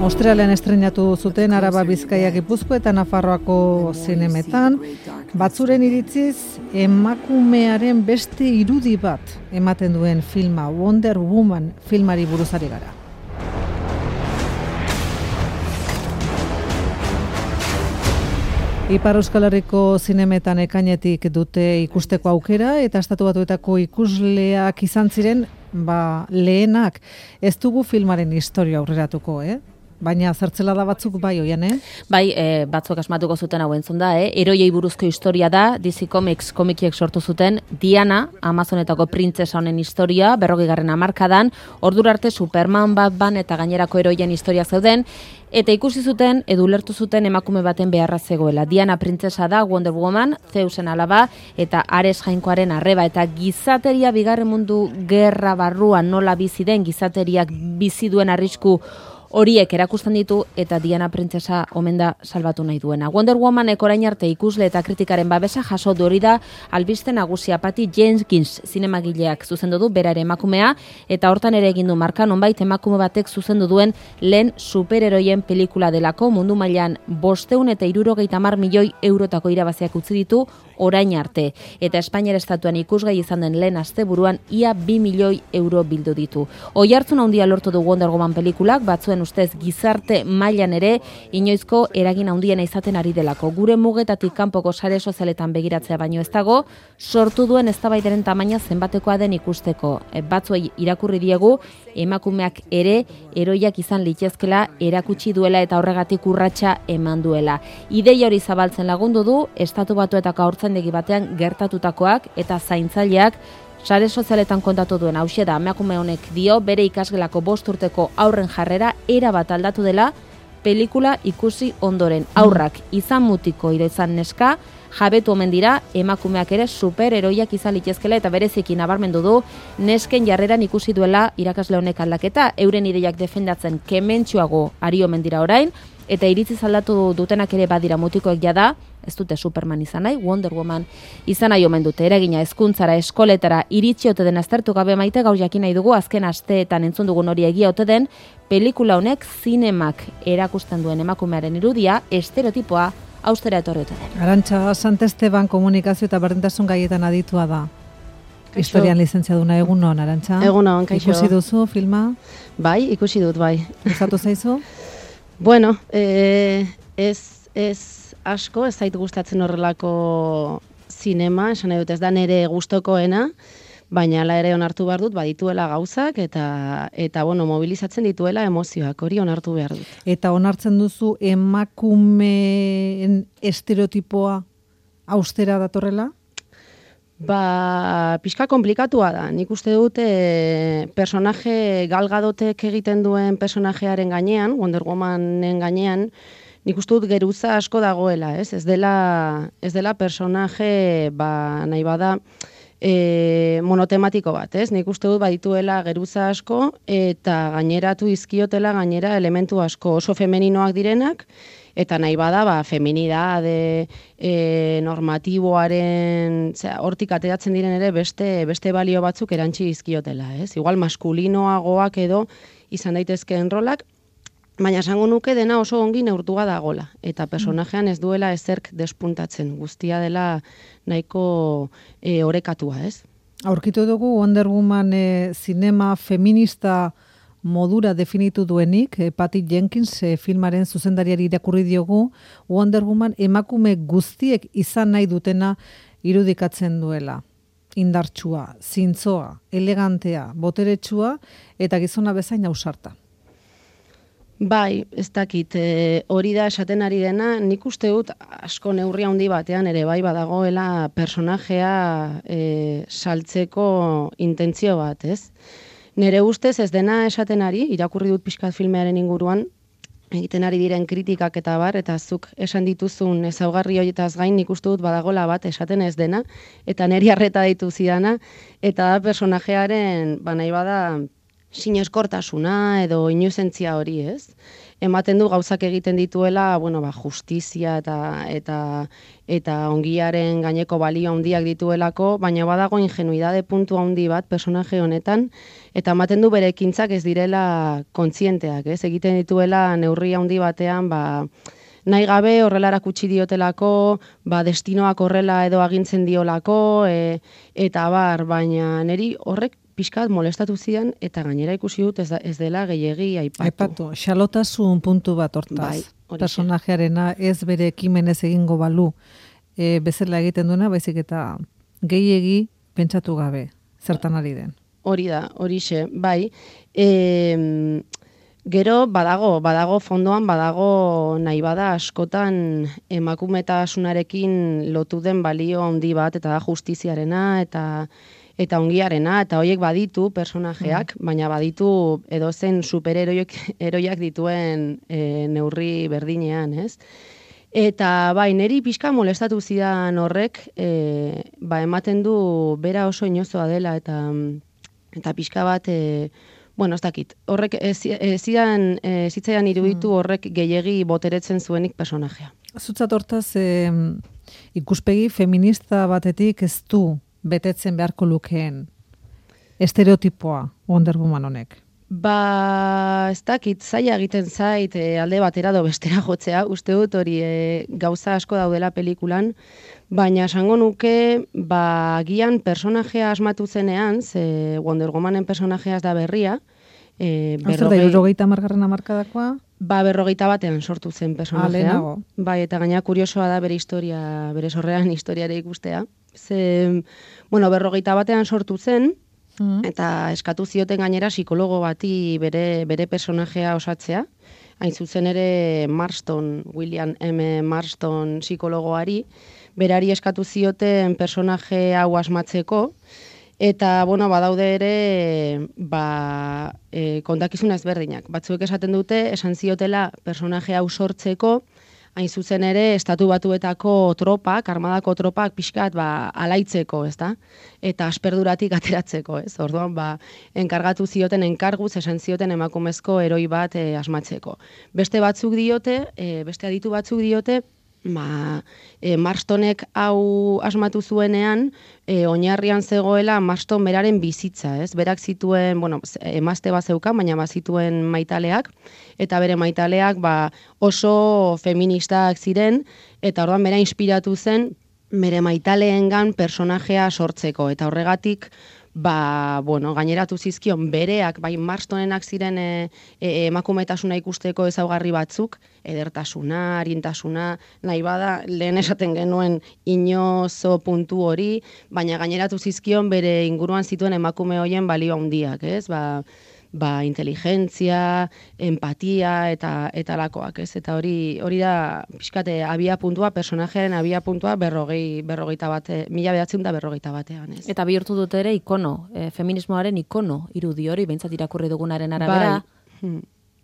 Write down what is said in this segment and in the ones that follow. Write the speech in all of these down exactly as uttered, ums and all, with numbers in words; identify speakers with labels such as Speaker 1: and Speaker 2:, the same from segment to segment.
Speaker 1: Australian estreinatu zuten Araba, Bizkaia, Gipuzkoa eta Nafarroako zinemetan. Batzuren iritziz, emakumearen beste irudi bat ematen duen filma, Wonder Woman filmari buruz ari gara. Ipar Euskal Herriko zinemetan ekainetik dute ikusteko aukera eta Estatu Batuetako ikusleak izan ziren ba, lehenak. Ez dugu filmaren historia aurreratuko, eh? Baina zertzela da batzuk bai oian, eh?
Speaker 2: Bai, e, batzuk asmatuko zuten hau entzun da, eh? Eroiei buruzko historia da, D C Comics komikiek sortu zuten, Diana, Amazonetako printzesa honen historia, berrogeigarren hamarkadan, ordura arte Superman, Batman eta gainerako eroien historia zeuden, eta ikusi zuten, edo ulertu zuten emakume baten beharra zegoela. Diana printzesa da, Wonder Woman, Zeusen alaba, eta Ares jainkoaren arreba, eta gizateria bigarren mundu gerra barruan nola bizi den, gizateriak bizi duen arrisku horiek erakusten ditu eta Diana printzesa omen da salbatu nahi duena. Wonder Womanek orain arte ikusle eta kritikaren babesa jaso du, hori da albiste nagusia. Patty Jenkins zinemagileak zuzendu du, bera ere emakumea, eta hortan ere egin du marka, nonbait emakume batek zuzendu duen lehen superheroien pelikula delako, mundu mailan bosteun eta hirurogeita hamar milioi eurotako irabaziak utzi ditu orain arte. Eta Espainiar estatuan ikusgai izan den lehen asteburuan ia bi milioi euro bildu ditu. Oihartzun handia lortu du Wonder Woman pelikulak, batzuen ustez gizarte mailan ere inoizko eragin handiena izaten ari delako. Gure mugetatik kanpoko sare sozialetan begiratzea baino ez dago, sortu duen eztabaidaren tamaina zenbatekoa den ikusteko. E, batzuei irakurri diegu, emakumeak ere eroiak izan litezkela erakutsi duela eta horregatik urratsa eman duela. Ideia hori zabaltzen lagundu du, Estatu Batuetako haurtzaindegi batean gertatutakoak eta zaintzaileak sare sozialetan kontatu duen hauxe da. Emakume honek dio bere ikasgelako bost urteko aurren jarrera erabat aldatu dela pelikula ikusi ondoren. Aurrak izan mutiko ira izan neska, jabetu omen dira emakumeak ere superheroiak izan litezkela eta bereziki nabarmendu du nesken jarreran ikusi duela irakasle honek aldaketa, euren ideiak defendatzen kementsuago ari omen dira orain, eta iritzi aldatu dutenak ere badira mutikoek jada, ez dute Superman izan nahi, Wonder Woman izan nahi omen dute, eragina hezkuntzara, eskoletara iritsi ote den aztertu gabe maite, gaur jakin nahi dugu, azken asteetan entzun dugun hori egia ote den, pelikula honek zinemak erakusten duen emakumearen irudia, estereotipoa austera etorri ote den.
Speaker 1: Arantxa Santesteban komunikazio eta berdintasun gaietan aditua da. Historian lizentziaduna, egunon, Arantxa?
Speaker 3: Egunon, kaixo.
Speaker 1: Ikusi duzu filma?
Speaker 3: Bai, ikusi dut, bai.
Speaker 1: Gustatu zaizu?
Speaker 3: Bueno, eh, ez, ez asko, ez zait gustatzen horrelako zinema, esan nahi dut ez da nere gustokoena, baina hala ere onartu behar dut, badituela gauzak, eta, eta bueno, mobilizatzen dituela emozioak, hori onartu behar dut.
Speaker 1: Eta onartzen duzu emakumeen estereotipoa austera datorrela?
Speaker 3: Ba, pixka komplikatua da. Nik uste dut e, personaje Gal Gadotek egiten duen personajearen gainean, Wonder Womanen gainean, nik uste dut geruza asko dagoela, ez? Ez dela, ez dela personaje, ba, nahi bada, e, monotematiko bat, ez? Nik uste dut badituela geruza asko eta gaineratu izkiotela gainera elementu asko oso femeninoak direnak, eta nahi bada, ba, feminidade, e, normatiboaren, zera, hortik ateratzen diren ere beste, beste balio batzuk erantzi izkiotela, ez? Igual maskulinoagoak edo izan daitezkeen rolak, baina esango nuke dena oso ongi neurtua dagola, eta personajean ez duela ezerk despuntatzen, guztia dela nahiko e, orekatua, ez?
Speaker 1: Aurkitu dugu Wonder Woman e, zinema feminista modura definitu duenik, eh, Patty Jenkins eh, filmaren zuzendariari irakurri diogu, Wonder Woman emakume guztiek izan nahi dutena irudikatzen duela. Indartsua, zintzoa, elegantea, boteretsua eta gizona bezain ausarta.
Speaker 3: Bai, ez dakit, e, hori da esaten ari dena, nik uste dut asko neurri handi batean ere bai badagoela personajea e, saltzeko intentzio bat, ez? Nere ustez ez dena esaten ari, irakurri dut pixkat filmearen inguruan, egiten ari diren kritikak eta bar, eta zuk esan dituzun ezaugarri horietaz gain nik uste dut badagola bat esaten ez dena, eta neri harreta ditu zidana, eta da personajearen, ba nahi bada, sineskortasuna edo inuzentzia hori, ez? ematen du gauzak egiten dituela, bueno, ba, justizia eta eta eta ongiaren gaineko balio handiak dituelako, baina badago ingenuidade puntu handi bat personaje honetan, eta ematen du bere ekintzak ez direla kontzienteak, ez? Egiten dituela neurri handi batean, ba, nahi gabe horrela erakutsi diotelako, ba, destinoak horrela edo agintzen diolako, e, eta bar, baina niri horrek pixkat molestatu zidan, eta gainera ikusi dut ez, da, ez dela gehiegi aipatu.
Speaker 1: Aipatu, xalotasun puntu bat hortaz.
Speaker 3: Bai,
Speaker 1: personajearena ez bere ekimenez egingo balu e, bezala egiten duena, baizik eta gehiegi pentsatu gabe, zertan ari den.
Speaker 3: Hori da, horixe, bai. E, gero badago, badago fondoan, badago nahi bada askotan emakumetasunarekin lotu den balio handi bat, eta da justiziarena, eta eta ongiarena, eta horiek baditu personajeak, mm. baina baditu edozen superheroiak eroiak dituen e, neurri berdinean, ez? Eta bai, neri pixka molestatu zidan horrek, e, ba, ematen du bera oso inozoa dela, eta eta pixka bat, e, bueno, ez dakit, horrek ez zidan, e, zitzaidan iruditu horrek gehiegi boteretzen zuenik personajea.
Speaker 1: Zutzat hortaz, e, ikuspegi feminista batetik ez du betetzen beharko lukeen estereotipoa Wonder Woman honek?
Speaker 3: Ba, ez dakit, zaila egiten zait e, alde batera do bestera jotzea, uste dut hori e, gauza asko daudela pelikulan, baina esango nuke, ba, gian personajea asmatu zenean, ze Wonder Womanen personajea ez da berria, e,
Speaker 1: berrogei... Berrogeita margarren amarkadakoa?
Speaker 3: Ba, berrogeita batean sortu zen personajea. Bai, eta gaina kuriosoa da bere historia, bere sorrean historiare ikustea. Ze, bueno, berrogeita batean sortu zen, mm. eta eskatu zioten gainera psikologo bati bere, bere personajea osatzea. Hain zuzen ere Marston, William M. Marston psikologoari, berari eskatu zioten personaje hau asmatzeko, eta, bueno, badaude ere, ba, e, kontakizuna ezberdinak. Batzuek esaten dute, esan ziotela personaje hau sortzeko, hain zuzen ere, estatu batuetako tropak, armadako tropak pixkat, ba, alaitzeko, ez da? Eta asperduratik ateratzeko, ez? Orduan, ba, enkargatu zioten, enkarguz, esan zioten emakumezko eroi bat e, asmatzeko. Beste batzuk diote, e, beste aditu batzuk diote, ba, e, Marstonek hau asmatu zuenean, e, oinarrian zegoela Marston beraren bizitza, ez? Berak zituen, bueno, emazte bat zeukan, baina bazituen maitaleak, eta bere maitaleak ba, oso feministak ziren, eta orduan bera inspiratu zen, bere maitaleengan personajea sortzeko, eta horregatik, ba, bueno, gaineratu zizkion bereak, bai Marstonenak ziren e, e, emakumetasuna ikusteko ezaugarri batzuk, edertasuna, arintasuna, nahi bada, lehen esaten genuen inozo puntu hori, baina gaineratu zizkion bere inguruan zituen emakume hoien balio handiak, ez? Ba, ba, inteligentzia, empatia eta eta lakoak, ez? Eta hori hori da pixkate abia puntua, personajearen abia puntua berrogei, berrogeita bate, mila behatzen da berrogeita batean, ez?
Speaker 2: Eta bihurtu dute ere ikono, e, feminismoaren ikono irudi hori, behintzat irakurri dugunaren arabera.
Speaker 3: Bai,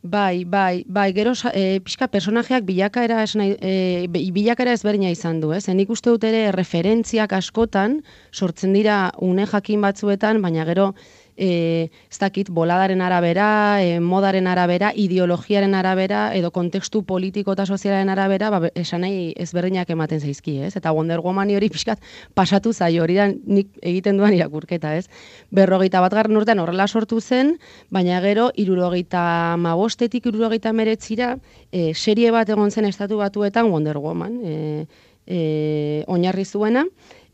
Speaker 3: bai, bai, bai, gero e, pixka personajeak bilakaera esna, e, bilakaera ezberdina izan du, ez? Nik uste dut ere referentziak askotan sortzen dira une jakin batzuetan, baina gero E, ez dakit, boladaren arabera, e, modaren arabera, ideologiaren arabera, edo kontekstu politiko eta sozialaren arabera, ba, esan nahi ezberdinak ematen zaizki, ez? Eta Wonder Woman hori pixkat pasatu zaio, hori da nik egiten duan irakurketa, ez? Berrogeita bat garren urtean horrela sortu zen, baina gero, irurogeita mabostetik irurogeita meretzira, e, serie bat egon zen estatu batuetan Wonder Woman, e, e, oinarri zuena,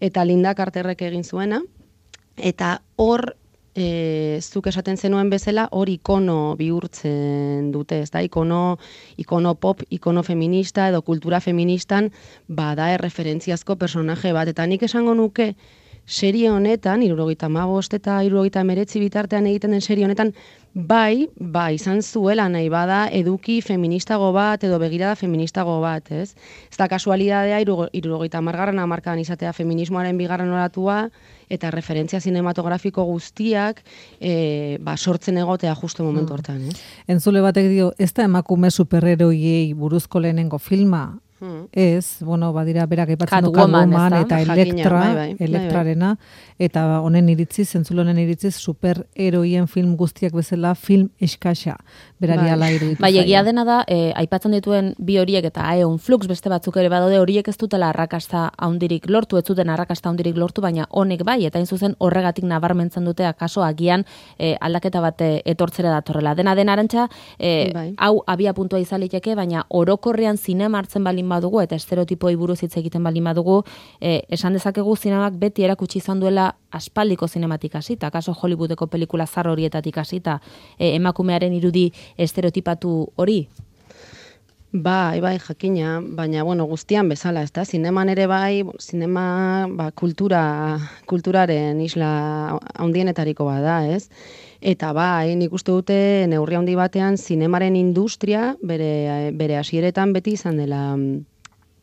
Speaker 3: eta Linda Carterrek egin zuena, eta hor, E, zuk esaten zenuen bezala, hor ikono bihurtzen dute, ez da, ikono, ikono pop, ikono feminista edo kultura feministan, bada erreferentziazko personaje bat, eta nik esango nuke serie honetan, hirurogeita hamabost eta hirurogeita hemeretzi bitartean egiten den serie honetan, bai, ba, izan zuela nahi bada eduki feministago bat edo begirada feministago bat, ez? Ez da kasualidadea hirurogeita hamargarren hamarkadan izatea feminismoaren bigarren olatua eta referentzia zinematografiko guztiak e, ba, sortzen egotea justu momentu hortan, ez?
Speaker 1: Entzule batek dio, ez da emakume superheroiei buruzko lehenengo filma,
Speaker 3: Hmm.
Speaker 1: Ez, bueno, badira berak aipatzen du
Speaker 2: Catwoman,
Speaker 1: Catwoman
Speaker 2: ezta?
Speaker 1: eta
Speaker 3: Jakina,
Speaker 1: Elektra,
Speaker 3: bai, bai, bai, bai.
Speaker 1: Elektrarena, eta honen iritziz, zentzulo honen iritziz, superheroien film guztiak bezala film eskasa. Berari
Speaker 3: Bai.
Speaker 1: ala iruditu
Speaker 2: Bai,
Speaker 1: zaio.
Speaker 2: egia dena da, e, aipatzen dituen bi horiek eta Aeon Flux beste batzuk ere badaude, horiek ez dutela arrakasta handirik lortu, ez zuten arrakasta handirik lortu, baina honek bai, eta hain zuzen horregatik nabarmentzen dute akaso agian e, aldaketa bat e, etortzera datorrela. Dena den Arantxa, e,
Speaker 3: Bai.
Speaker 2: hau abia puntua izan liteke, baina orokorrean zinema hartzen balin badugu eta estereotipoi buruz hitz egiten balin badugu, e, esan dezakegu zinemak beti erakutsi izan duela aspaldiko zinematik hasita, akaso Hollywoodeko pelikula zar horietatik hasita, e, emakumearen irudi estereotipatu hori?
Speaker 3: Bai, bai, jakina, baina, bueno, guztian bezala, ez da, zineman ere bai, zinema, ba, kultura, kulturaren isla handienetariko bada, ez? Eta bai, nik uste dute neurri handi batean zinemaren industria bere, bere hasieretan beti izan dela,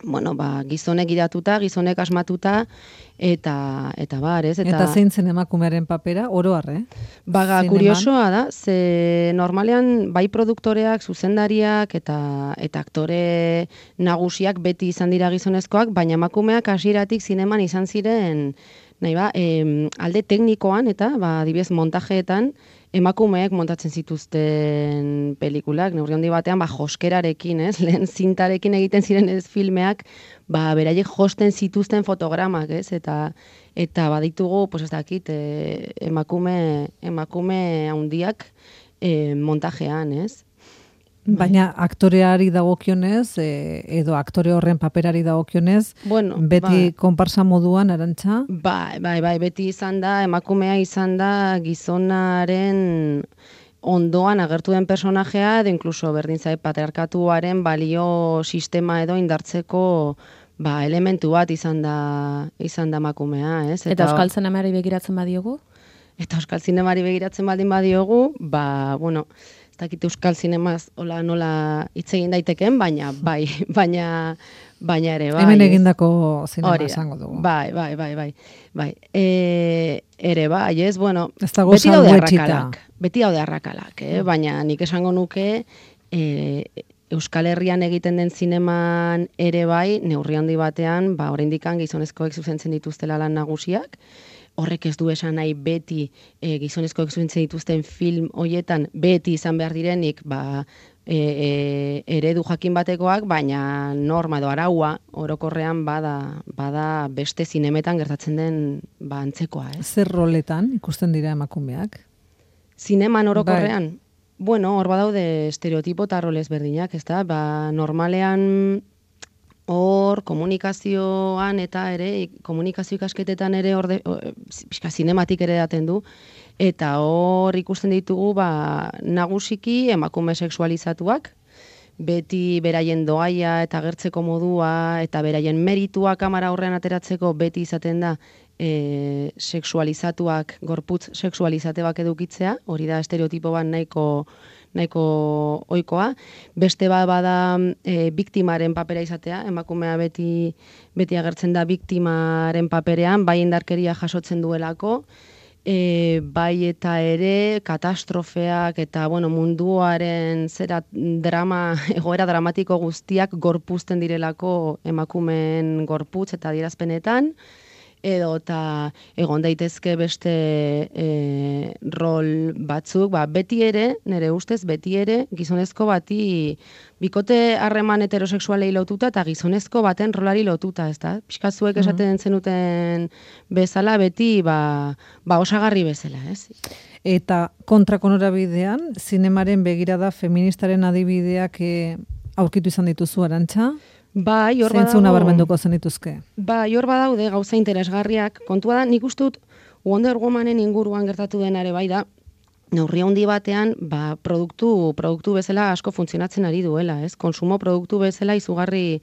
Speaker 3: bueno, ba, gizonek idatuta, gizonek asmatuta, eta, eta bar, ez?
Speaker 1: Eta, eta zein zen emakumearen papera, oro har, eh?
Speaker 3: Baga,
Speaker 1: Zineman.
Speaker 3: kuriosoa da, ze normalean bai produktoreak, zuzendariak eta eta aktore nagusiak beti izan dira gizonezkoak, baina emakumeak hasieratik zineman izan ziren, nahi ba, em, alde teknikoan eta, ba, adibidez, montajeetan, emakumeek montatzen zituzten pelikulak, neurri handi batean, ba, joskerarekin, ez? Lehen zintarekin egiten ziren ez filmeak, ba, beraiek josten zituzten fotogramak, ez? Eta eta baditugu, pues ez dakit, e, emakume emakume handiak e, montajean, ez?
Speaker 1: Baina aktoreari dagokionez, e, edo aktore horren paperari dagokionez,
Speaker 3: Bueno,
Speaker 1: beti
Speaker 3: bai.
Speaker 1: konparsa moduan, Arantxa?
Speaker 3: Bai, bai, bai, beti izan da, emakumea izan da gizonaren ondoan agertu den personajea, edo inkluso berdin zait patriarkatuaren balio sistema edo indartzeko ba, elementu bat izan da izan da emakumea, ez?
Speaker 2: Eta, eta Euskal Zinemari begiratzen badiogu?
Speaker 3: Eta Euskal Zinemari begiratzen baldin badiogu, ba, bueno, ez dakit Euskal Zinemaz hola nola hitz egin daiteken, baina bai, baina baina ere bai.
Speaker 1: Hemen
Speaker 3: ez?
Speaker 1: egindako zinema
Speaker 3: Hori da.
Speaker 1: esango dugu.
Speaker 3: Bai, bai, bai, bai. Bai. E, ere bai, ez, bueno,
Speaker 1: Ez dago
Speaker 3: beti daude
Speaker 1: salbuetsita.
Speaker 3: arrakalak. Beti daude arrakalak, eh? Baina nik esango nuke e, Euskal Herrian egiten den zineman ere bai, neurri handi batean, ba, oraindikan gizonezkoek zuzentzen dituztela lan nagusiak, horrek ez du esan nahi beti e, gizonezkoek zuzentzen dituzten film hoietan beti izan behar direnik, ba, e, e, eredu jakin batekoak, baina norma edo araua orokorrean bada, bada beste zinemetan gertatzen den ba, antzekoa, ez?
Speaker 1: Zer roletan ikusten dira emakumeak?
Speaker 3: Zineman orokorrean, bueno, hor badaude estereotipo eta rol ezberdinak, ezta? Ba, normalean hor komunikazioan eta ere, komunikazio ikasketetan ere hor, pixka zinematik ere daten du, eta hor ikusten ditugu, ba, nagusiki emakume sexualizatuak, beti beraien doaia eta agertzeko modua, eta beraien meritua kamera aurrean ateratzeko beti izaten da, e, sexualizatuak, gorputz sexualizate bak edukitzea, hori da estereotipo bat nahiko nahiko ohikoa. Beste bat bada e, biktimaren papera izatea, emakumea beti beti agertzen da biktimaren paperean, bai indarkeria jasotzen duelako, e, bai eta ere katastrofeak eta bueno, munduaren zera drama, egoera dramatiko guztiak gorpuzten direlako emakumeen gorputz eta adierazpenetan, edo eta egon daitezke beste e, rol batzuk, ba, beti ere, nire ustez, beti ere, gizonezko bati bikote harreman heterosexualei lotuta eta gizonezko baten rolari lotuta, ez da? Piskazuek esaten zenuten bezala, beti ba, ba osagarri bezala, ez?
Speaker 1: Eta kontrako norabidean, zinemaren begirada feministaren adibideak e, aurkitu izan dituzu, Arantxa?
Speaker 3: Bai, hor
Speaker 1: Zeintzu
Speaker 3: badago.
Speaker 1: nabarmenduko zenituzke?
Speaker 3: Bai, hor badaude gauza interesgarriak. Kontua da, nik uste dut Wonder Womanen inguruan gertatu denare bai da, neurri handi batean, ba, produktu, produktu bezala asko funtzionatzen ari duela, ez? Konsumo produktu bezala izugarri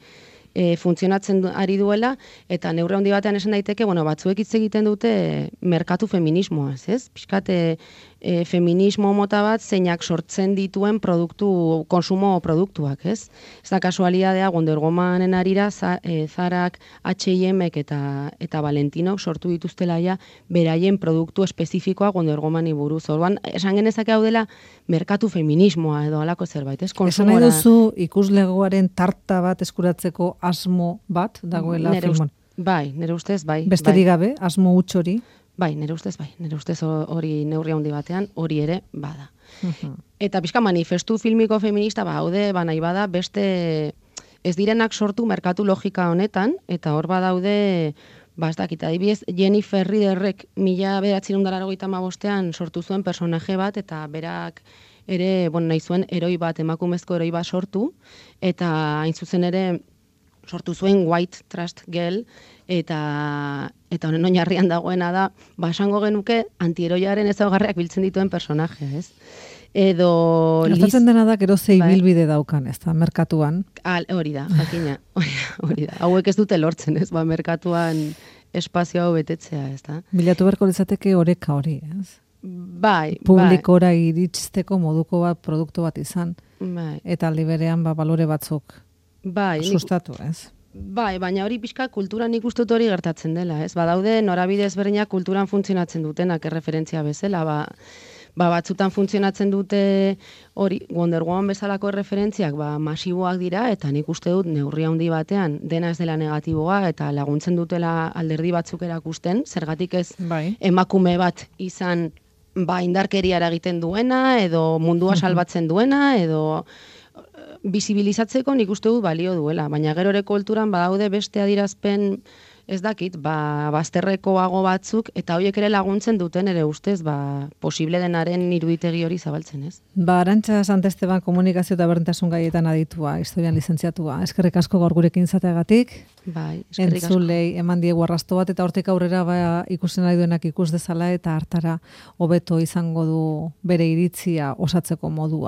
Speaker 3: e, funtzionatzen du, ari duela, eta neurri handi batean esan daiteke, bueno, batzuek hitz egiten dute merkatu feminismoaz, ez? Pixkat, e, e, feminismo mota bat zeinak sortzen dituen produktu, konsumo produktuak, ez? Ez da kasualidadea Wonder Womanen arira za, e, Zarak, H and Mek eta, eta Valentinok sortu dituztela ja beraien produktu espezifikoa Wonder Womani buruz. Orduan, esan genezake hau dela merkatu feminismoa edo alako zerbait, ez?
Speaker 1: Esan nahi duzu ikuslegoaren tarta bat eskuratzeko asmo bat dagoela filmon?
Speaker 3: Bai, nire ustez, bai.
Speaker 1: Besterik
Speaker 3: bai.
Speaker 1: gabe, asmo huts hori?
Speaker 3: Bai, nire ustez, bai. Nire ustez hori neurri handi batean, hori ere bada. Uh-huh. Eta pixka manifestu filmiko feminista, ba, haude, ba, nahi bada, beste ez direnak sortu merkatu logika honetan, eta hor badaude, ba, ez dakit, adibidez, Jennifer Riderrek mila bederatziehun eta laurogeita hamabostean sortu zuen personaje bat, eta berak ere, bueno, nahi zuen eroi bat, emakumezko eroi bat sortu, eta hain zuzen ere, sortu zuen White Trust Girl, eta eta honen oinarrian dagoena da, ba, esango genuke antieroiaren ezaugarriak biltzen dituen personajea, ez? Edo...
Speaker 1: Gertatzen dena da, gero ze ibilbide daukan, ez da, merkatuan.
Speaker 3: Al, hori da, jakina, hori da. Hauek ez dute lortzen, ez, ba, merkatuan espazio hau betetzea, ez da.
Speaker 1: Bilatu beharko litzateke oreka hori, ez?
Speaker 3: Bai,
Speaker 1: publikora bai. Iristeko moduko bat, produktu bat izan,
Speaker 3: bai.
Speaker 1: Eta aldi berean, ba, balore batzuk
Speaker 3: bai,
Speaker 1: sustatu, ez?
Speaker 3: Bai, baina hori pixka kulturan ikustut hori gertatzen dela, ez? Badaude norabide ezberdinak kulturan funtzionatzen dutenak erreferentzia bezala, ba, ba batzutan funtzionatzen dute hori Wonder Woman bezalako erreferentziak ba masiboak dira eta nik uste dut neurri handi batean dena ez dela negatiboa eta laguntzen dutela alderdi batzuk erakusten, zergatik ez
Speaker 1: bai.
Speaker 3: Emakume bat izan ba indarkeriara egiten duena edo mundua salbatzen duena edo bizibilizatzeko nik uste dut balio duela, baina gero ere kulturan badaude beste adierazpen ez dakit, ba, bazterrekoago batzuk, eta horiek ere laguntzen duten ere ustez, ba, posible denaren iruditegi hori zabaltzen, ez?
Speaker 1: Ba, Arantxa Santesteban komunikazio eta berdintasun gaietan aditua, historian lizentziatua. Eskerrik asko gaur gurekin izateagatik.
Speaker 3: Bai, eskerrik asko.
Speaker 1: Entzulei eman diegu arrasto bat, eta hortik aurrera ba, ikusten nahi duenak ikus dezala, eta hartara hobeto izango du bere iritzia osatzeko modua.